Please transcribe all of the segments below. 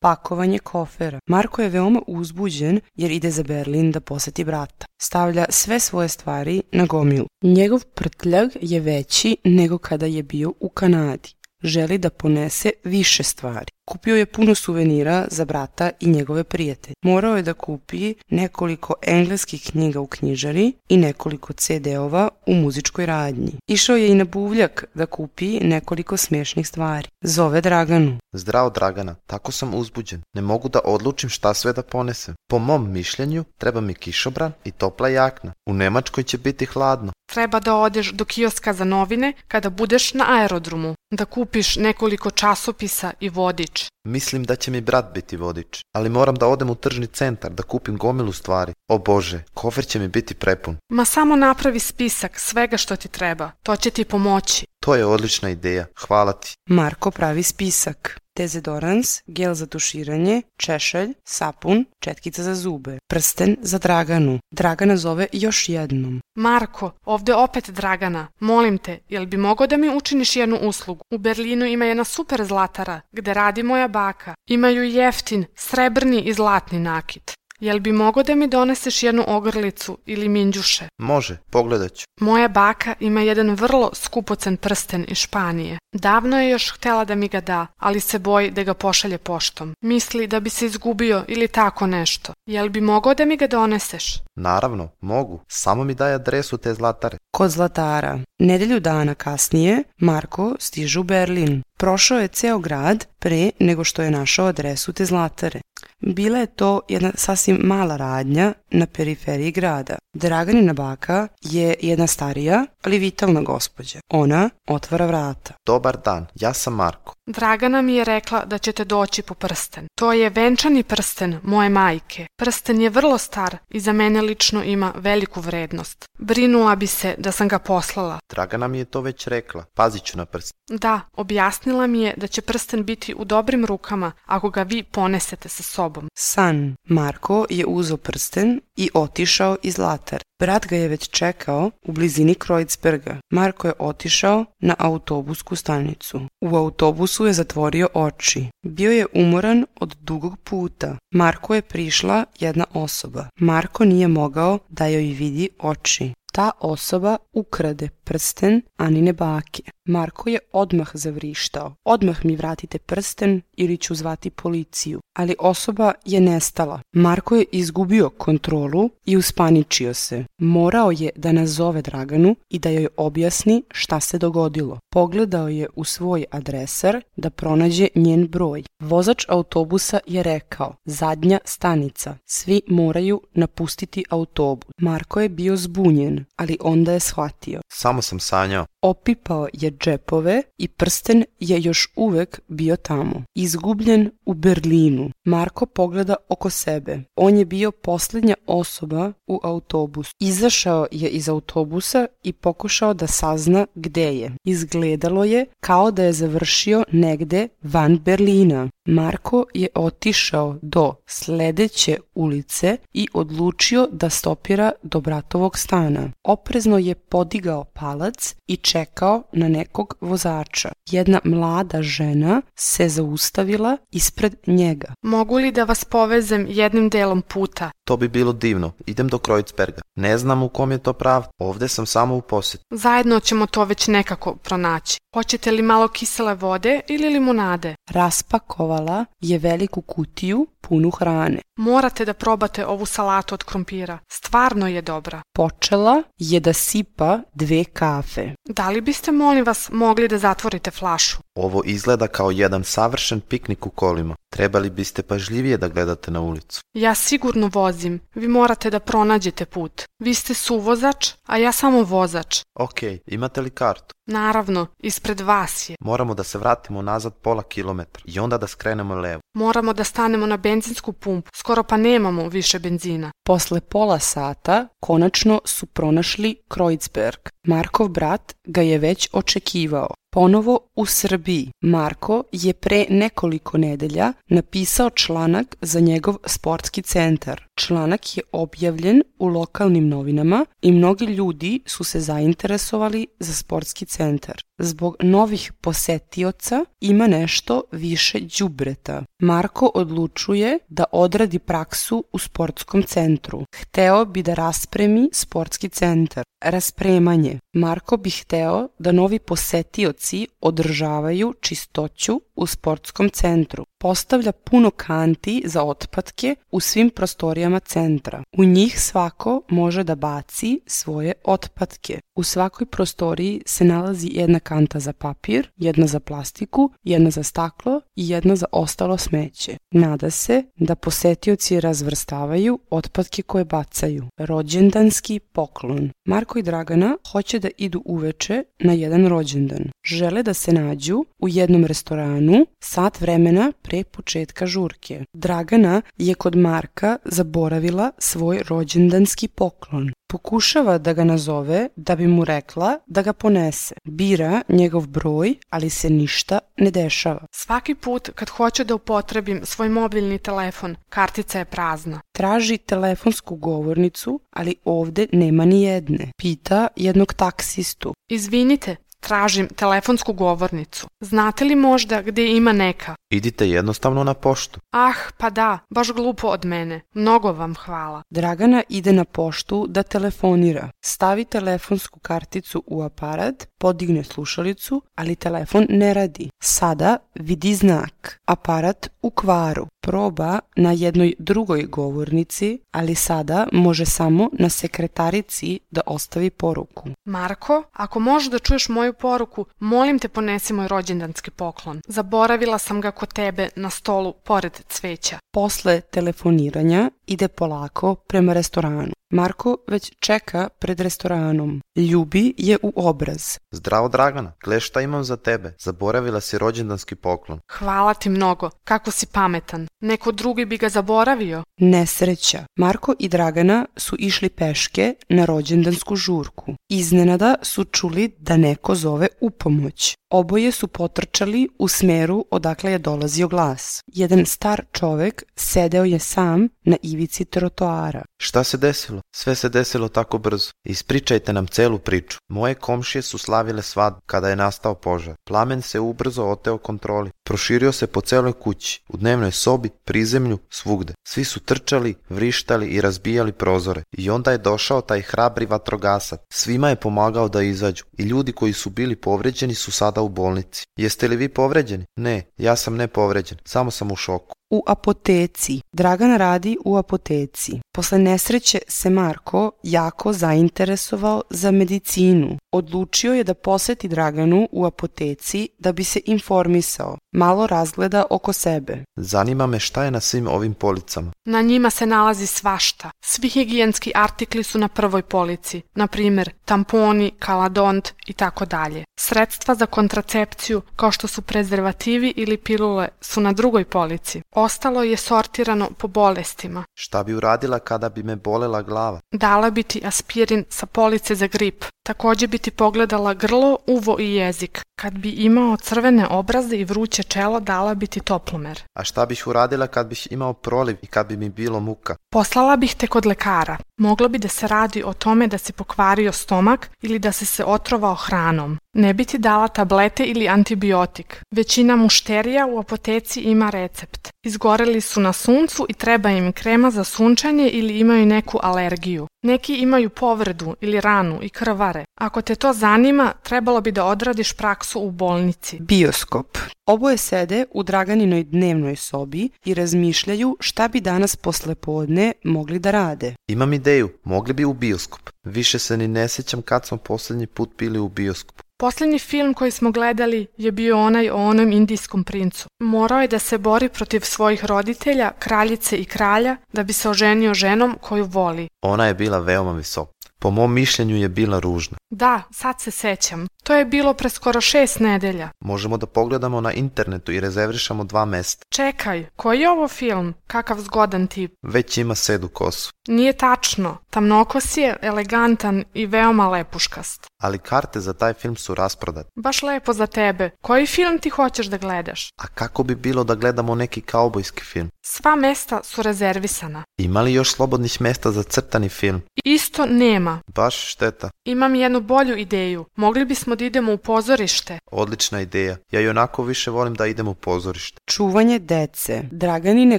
Pakovanje kofera. Marko je veoma uzbuđen jer ide za Berlin da poseti brata. Stavlja sve svoje stvari na gomilu. Njegov prtljag je veći nego kada je bio u Kanadi. Želi da ponese više stvari. Kupio je puno suvenira za brata i njegove prijatelje. Morao je da kupi nekoliko engleskih knjiga u knjižari i nekoliko CD-ova u muzičkoj radnji. Išao je i na buvljak da kupi nekoliko smiješnih stvari. Zove Draganu. Zdravo Dragana, tako sam uzbuđen. Ne mogu da odlučim šta sve da ponesem. Po mom mišljenju treba mi kišobran i topla jakna. U Nemačkoj će biti hladno. Treba da odeš do kioska za novine kada budeš na aerodromu, da kupiš nekoliko časopisa i vodič. Mislim da će mi brat biti vodič, ali moram da odem u tržni centar da kupim gomilu stvari. O Bože, kofer će mi biti prepun. Ma samo napravi spisak svega što ti treba, to će ti pomoći. To je odlična ideja, hvala ti. Marko pravi spisak. Dezodorans, gel za tuširanje, češelj, sapun, četkica za zube, prsten za Draganu. Dragana zove još jednom. Marko, ovde opet Dragana. Molim te, jel bi mogao da mi učiniš jednu uslugu? U Berlinu ima jedna super zlatara, gde radi moja baka. Imaju jeftin, srebrni i zlatni nakit. Jel bi mogao da mi doneseš jednu ogrlicu ili minđuše? Može, pogledat ću. Moja baka ima jedan vrlo skupocen prsten iz Španije. Davno je još htela da mi ga da, ali se boji da ga pošalje poštom. Misli da bi se izgubio ili tako nešto. Jel bi mogao da mi ga doneseš? Naravno, mogu. Samo mi daj adresu te zlatare. Kod zlatara. Nedelju dana kasnije Marko stiže u Berlin. Prošao je ceo grad pre nego što je našao adresu te zlatare. Bila je to jedna sasvim mala radnja na periferiji grada. Draganina baka je jedna starija, ali vitalna gospođa. Ona otvara vrata. Dobar dan, ja sam Marko. Dragana mi je rekla da ćete doći po prsten. To je venčani prsten moje majke. Prsten je vrlo star i za mene lično ima veliku vrednost. Brinula bi se da sam ga poslala. Dragana mi je to već rekla. Pazit ću na prsten. Da, objasnila mi je da će prsten biti u dobrim rukama ako ga vi ponesete sa sobom. San. Marko je uzeo prsten i otišao iz zlatare. Brat ga je već čekao u blizini Kreuzberga. Marko je otišao na autobusku stanicu. U autobusu je zatvorio oči. Bio je umoran od dugog puta. Marko je prišla jedna osoba. Marko nije mogao da joj vidi oči. Ta osoba ukrade prsten Anine bake. Marko je odmah zavrištao. Odmah mi vratite prsten ili ću zvati policiju. Ali osoba je nestala. Marko je izgubio kontrolu i uspaničio se. Morao je da nazove Draganu i da joj objasni šta se dogodilo. Pogledao je u svoj adresar da pronađe njen broj. Vozač autobusa je rekao: zadnja stanica. Svi moraju napustiti autobus. Marko je bio zbunjen, ali onda je shvatio. Samo sam sanjao. Opipao je džepove i prsten je još uvek bio tamo. Izgubljen u Berlinu. Marko pogleda oko sebe. On je bio posljednja osoba u autobusu. Izašao je iz autobusa i pokušao da sazna gde je. Izgledalo je kao da je završio negde van Berlina. Marko je otišao do sledeće ulice i odlučio da stopira do bratovog stana. Oprezno je podigao palac i čekao na nekog vozača. Jedna mlada žena se zaustavila ispred njega. Mogu li da vas povezem jednim delom puta? To bi bilo divno. Idem do Kreuzberga. Ne znam u kom je to prav. Ovde sam samo u posjetu. Zajedno ćemo to već nekako pronaći. Hoćete li malo kisele vode ili limunade? Raspakovala je veliku kutiju punu hrane. Morate da probate ovu salatu od krompira. Stvarno je dobra. Počela je da sipa 2 kafe. Da li biste, molim vas, mogli da zatvorite flašu? Ovo izgleda kao jedan savršen piknik u kolima. Trebali biste pažljivije da gledate na ulicu. Ja sigurno vozim. Vi morate da pronađete put. Vi ste suvozač, a ja samo vozač. Okej, imate li kartu? Naravno, ispred vas je. Moramo da se vratimo nazad pola kilometra i onda da skrenemo levo. Moramo da stanemo na benzinsku pumpu. Skoro pa nemamo više benzina. Posle pola sata konačno su pronašli Kreuzberg. Markov brat ga je već očekivao. Ponovo u Srbiji. Marko je pre nekoliko nedelja napisao članak za njegov sportski centar. Članak je objavljen u lokalnim novinama i mnogi ljudi su se zainteresovali za sportski centar. Zbog novih posetioca ima nešto više đubreta. Marko odlučuje da odradi praksu u sportskom centru. Hteo bi da raspremi sportski centar. Raspremanje. Marko bi hteo da novi posetioci održavaju čistoću u sportskom centru. Postavlja puno kanti za otpadke u svim prostorijama centra. U njih svako može da baci svoje otpadke. U svakoj prostoriji se nalazi jedna kanta za papir, jedna za plastiku, jedna za staklo i jedna za ostalo smeće. Nada se da posetioci razvrstavaju otpadke koje bacaju. Rođendanski poklon. Marko i Dragana hoće da idu uveče na jedan rođendan. Žele da se nađu u jednom restoranu sat vremena pre početka žurke. Dragana je kod Marka zaboravila svoj rođendanski poklon. Pokušava da ga nazove da bi mu rekla da ga ponese. Bira njegov broj, ali se ništa ne dešava. Svaki put kad hoću da upotrebim svoj mobilni telefon, kartica je prazna. Traži telefonsku govornicu, ali ovde nema ni jedne. Pita jednog taksistu. Izvinite, tražim telefonsku govornicu. Znate li možda gdje ima neka? Idite jednostavno na poštu. Ah, pa da, baš glupo od mene. Mnogo vam hvala. Dragana ide na poštu da telefonira. Stavi telefonsku karticu u aparat, podigne slušalicu, ali telefon ne radi. Sada vidi znak. Aparat u kvaru. Proba na jednoj drugoj govornici, ali sada može samo na sekretarici da ostavi poruku. Marko, ako možeš da čuješ moju poruku, molim te ponesi moj rođendanski poklon. Zaboravila sam ga kod tebe na stolu pored cveća. Posle telefoniranja ide polako prema restoranu. Marko već čeka pred restoranom. Ljubi je u obraz. Zdravo Dragana, gle šta imam za tebe. Zaboravila si rođendanski poklon. Hvala ti mnogo, kako si pametan. Neko drugi bi ga zaboravio. Nesreća. Marko i Dragana su išli peške na rođendansku žurku. Iznenada su čuli da neko zove upomoć. Oboje su potrčali u smeru odakle je dolazio glas. Jedan star čovek sedeo je sam na ivici trotoara. Šta se desilo? Sve se desilo tako brzo. Ispričajte nam celu priču. Moje komšije su slavile svadbu kada je nastao požar. Plamen se ubrzo oteo kontroli. Proširio se po celoj kući, u dnevnoj sobi, prizemlju, svugde. Svi su trčali, vrištali i razbijali prozore. I onda je došao taj hrabri vatrogasac. Svima je pomagao da izađu. I ljudi koji su bili povređeni su sada u bolnici. Jeste li vi povređeni? Ne, ja sam ne povređen. Samo sam u šoku. U apoteci. Dragana radi u apoteci. Posle nesreće se Marko jako zainteresovao za medicinu. Odlučio je da poseti Draganu u apoteci da bi se informisao. Malo razgleda oko sebe. Zanima me šta je na svim ovim policama. Na njima se nalazi svašta. Svi higijenski artikli su na prvoj polici. Na primjer, tamponi, kaladont i tako dalje. Sredstva za kontracepciju, kao što su prezervativi ili pilule, su na drugoj polici. Ostalo je sortirano po bolestima. Šta bi uradila kada bi me bolela glava? Dala bi ti aspirin sa police za grip. Također bi ti pogledala grlo, uvo i jezik. Kad bi imao crvene obraze i vruće čelo, dala bi ti toplomer. A šta bih uradila kad bih imao proliv i kad bi mi bilo muka? Poslala bih te kod lekara. Moglo bi da se radi o tome da si pokvario stomak ili da si se otrovao hranom. Ne bi ti dala tablete ili antibiotik. Većina mušterija u apoteci ima recept. Izgoreli su na suncu i treba im krema za sunčanje ili imaju neku alergiju. Neki imaju povredu ili ranu i krvare. Ako te to zanima, trebalo bi da odradiš praksu u bolnici. Bioskop. Oboje sede u Draganinoj dnevnoj sobi i razmišljaju šta bi danas poslepodne mogli da rade. Imam ideju, mogli bi u bioskop. Više se ni ne sjećam kad smo posljednji put bili u bioskopu. Posljednji film koji smo gledali je bio onaj o onom indijskom princu. Morao je da se bori protiv svojih roditelja, kraljice i kralja, da bi se oženio ženom koju voli. Ona je bila veoma visoka. Po mom mišljenju je bila ružna. Da, sad se sećam. To je bilo pre skoro 6 nedelja. Možemo da pogledamo na internetu i rezervišamo 2 mesta. Čekaj, koji je ovo film? Kakav zgodan tip. Već ima sedu kosu. Nije tačno. Tamnokos je, elegantan i veoma lepuškast. Ali karte za taj film su rasprodate. Baš lepo za tebe. Koji film ti hoćeš da gledaš? A kako bi bilo da gledamo neki kaubojski film? Sva mesta su rezervisana. Ima li još slobodnih mesta za crtani film? Isto nema. Baš šteta. Imam jednu bolju ideju. Mogli bismo da idemo u pozorište. Odlična ideja. Ja i onako više volim da idem u pozorište. Čuvanje dece. Draganine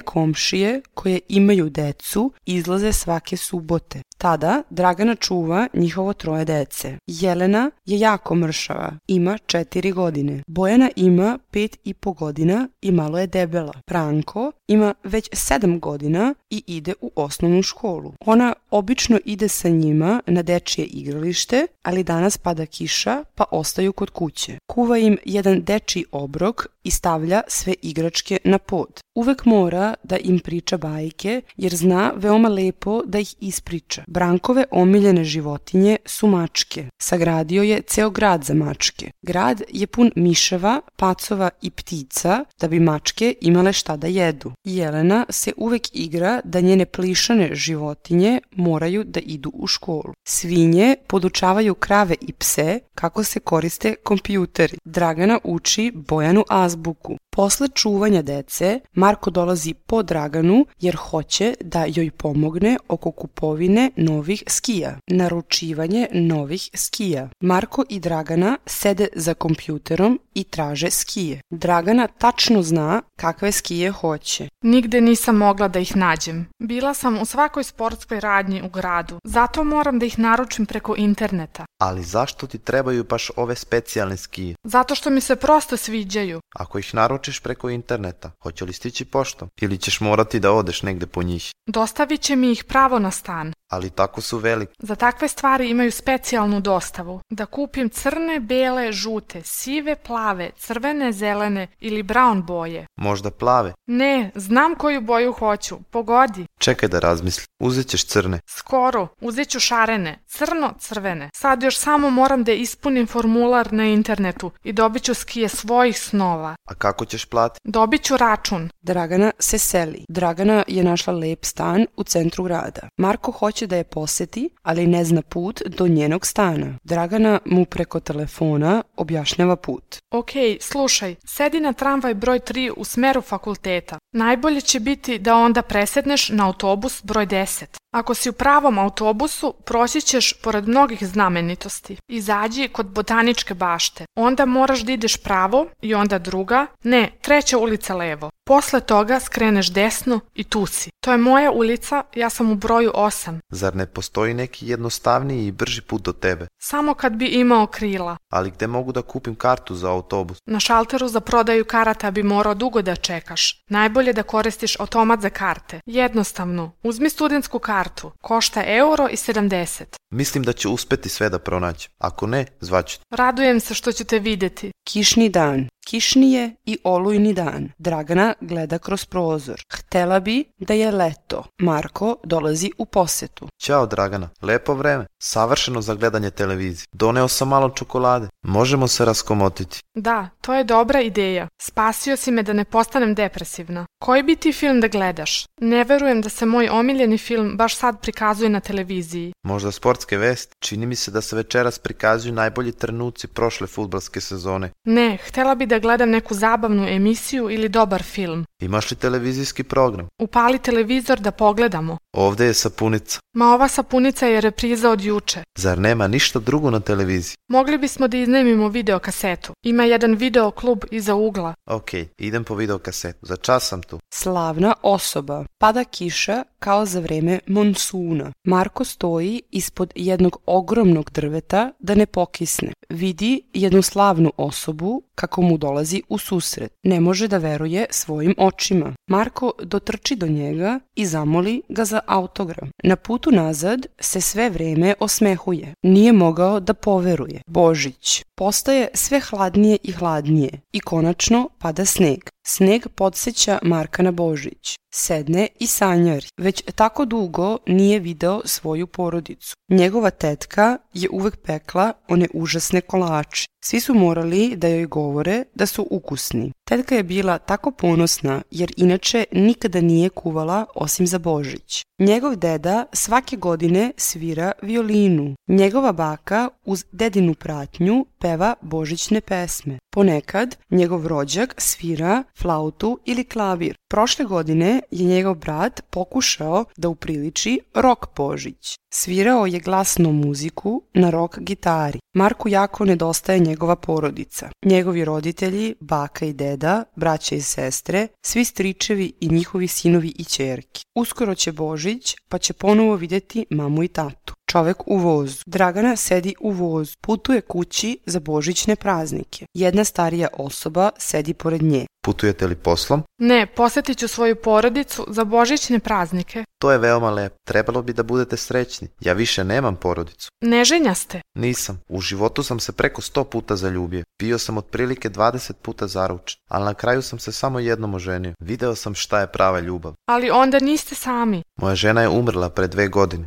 komšije koje imaju decu izlaze svake subote. Tada Dragana čuva njihovo 3 dece. Jelena je jako mršava, ima 4 godine. Bojana ima 5,5 godina i malo je debela. Branko ima već 7 godina i ide u osnovnu školu. Ona obično ide sa njima na dečije igralište, ali danas pada kiša pa ostaju kod kuće. Kuva im jedan dečiji obrok i stavlja sve igračke na pod. Uvek mora da im priča bajke jer zna veoma lepo da ih ispriča. Brankove omiljene životinje su mačke. Sagradio je ceo grad za mačke. Grad je pun miševa, pacova i ptica da bi mačke imale šta da jedu. Jelena se uvek igra da njene plišane životinje moraju da idu u školu. Svinje podučavaju krave i pse kako se koriste kompjuteri. Dragana uči Bojanu azbuku. Posle čuvanja dece, Marko dolazi po Draganu jer hoće da joj pomogne oko kupovine novih skija. Naručivanje novih skija. Marko i Dragana sede za kompjuterom i traže skije. Dragana tačno zna kakve skije hoće. Nigde nisam mogla da ih nađem. Bila sam u svakoj sportskoj radnji u gradu. Zato moram da ih naručim preko interneta. Ali zašto ti trebaju baš ove specijalne skije? Zato što mi se prosto sviđaju. Ako ih naručiš preko interneta, hoće li stići poštom? Ili ćeš morati da odeš negde po njih? Dostavit će mi ih pravo na stan. Ali tako su veliki. Za takve stvari imaju specijalnu dostavu. Da kupim crne, bele, žute, sive, plave, crvene, zelene ili brown boje. Možda plave? Ne, znam koju boju hoću. Pogodi. Čekaj da razmislim. Uzet ćeš crne. Skoro. Uzet ću šarene. Crno-crvene. Sad još samo moram da ispunim formular na internetu i dobit ću skije svojih snova. A kako ćeš platiti? Dobit ću račun. Dragana se seli. Dragana je našla lep stan u centru grada. Marko hoće da je poseti, ali ne zna put do njenog stana. Dragana mu preko telefona objašnjava put. Okej, slušaj, sedi na tramvaj broj 3 u smeru fakulteta. Najbolje će biti da onda presedneš na autobus broj 10. Ako si u pravom autobusu, proći ćeš pored mnogih znamenitosti. Izađi kod botaničke bašte. Onda moraš da ideš pravo i onda druga, ne, 3. ulica levo. Posle toga skreneš desno i tu si. To je moja ulica, ja sam u broju 8. Zar ne postoji neki jednostavniji i brži put do tebe? Samo kad bi imao krila. Ali gde mogu da kupim kartu za autobus? Na šalteru za prodaju karata bi morao dugo da čekaš. Najbolje da koristiš automat za karte. Jednostavno, uzmi studentsku kartu. Košta €1,70. Mislim da ću uspeti sve da pronaći. Ako ne, zvaću te. Radujem se što ću te videti. Kišni dan. Kišni je i olujni dan. Dragana gleda kroz prozor. Htela bi da je leto. Marko dolazi u posetu. Ćao Dragana, lepo vreme. Savršeno za gledanje televizije. Doneo sam malo čokolade. Možemo se raskomotiti. Da, to je dobra ideja. Spasio si me da ne postanem depresivna. Koji bi ti film da gledaš? Ne verujem da se moj omiljeni film baš sad prikazuje na televiziji. Možda sportske vesti. Čini mi se da se večeras prikazuju najbolji trenuci prošle fudbalske sezone. Ne, htela bi da gledam neku zabavnu emisiju ili dobar film. Imaš li televizijski program? Upali televizor da pogledamo. Ovde je sapunica. Ma ova sapunica je repriza od juče. Zar nema ništa drugo na televiziji? Mogli bismo da iznajmimo videokasetu. Ima jedan videoklub iza ugla. Okej, idem po videokasetu. Za čas sam tu. Slavna osoba. Pada kiša kao za vreme monsuna. Marko stoji ispod jednog ogromnog drveta da ne pokisne. Vidi jednu slavnu osobu kako mu dolazi u susret. Ne može da veruje svojim očima. Marko dotrči do njega i zamoli ga za autogram. Na putu nazad se sve vreme osmehuje. Nije mogao da poveruje. Božić. Postaje sve hladnije i hladnije i konačno pada sneg. Sneg podsjeća Marka na Božić. Sedne i sanjari. Već tako dugo nije video svoju porodicu. Njegova tetka je uvek pekla one užasne kolače. Svi su morali da joj govore da su ukusni. Tetka je bila tako ponosna jer inače nikada nije kuvala osim za Božić. Njegov deda svake godine svira violinu. Njegova baka uz dedinu pratnju peva božićne pesme. Ponekad njegov rođak svira flautu ili klavir. Prošle godine je njegov brat pokušao da upriliči rok Božić. Svirao je glasnu muziku na rok gitari. Marku jako nedostaje njegova porodica. Njegovi roditelji, baka i deda, braća i sestre, svi stričevi i njihovi sinovi i ćerki. Uskoro će Božić, pa će ponovo vidjeti mamu i tatu. Čovek u vozu. Dragana sedi u vozu. Putuje kući za božićne praznike. Jedna starija osoba sedi pored nje. Putujete li poslom? Ne, posjetit ću svoju porodicu za božićne praznike. To je veoma lepo. Trebalo bi da budete srećni. Ja više nemam porodicu. Neženja ste? Nisam. U životu sam se preko 100 puta zaljubio. Bio sam otprilike 20 puta zaručen. Ali na kraju sam se samo jednom oženio. Video sam šta je prava ljubav. Ali onda niste sami. Moja žena je umrla pre 2 godine.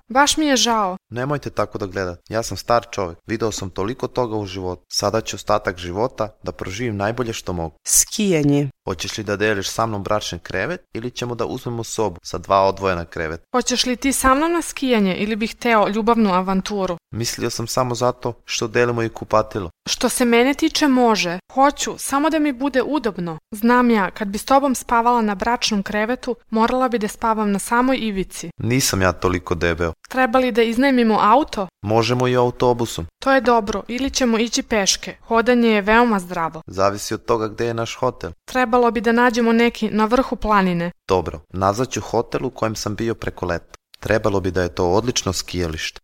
Baš mi je žao. Nemojte tako da gledate. Ja sam star čovjek. Video sam toliko toga u životu. Sada ću ostatak života da proživim najbolje što mogu. Skijanje. Hoćeš li da deliš sa mnom bračni krevet ili ćemo da uzmemo sobu sa 2 odvojena kreveta? Hoćeš li ti sa mnom na skijanje ili bih hteo ljubavnu avanturu? Mislio sam samo zato što delimo i kupatilo. Što se mene tiče može. Hoću, samo da mi bude udobno. Znam ja, kad bi s tobom spavala na bračnom krevetu, morala bi da spavam na samoj ivici. Nisam ja toliko debeo. Treba li da iznajmimo auto? Možemo i autobusom. To je dobro, ili ćemo ići peške. Hodanje je veoma zdravo. Zavisi od toga gde je naš hotel. Trebalo bi da nađemo neki na vrhu planine. Dobro, nazvaću hotel u kojem sam bio preko leta. Trebalo bi da je to odlično skijalište.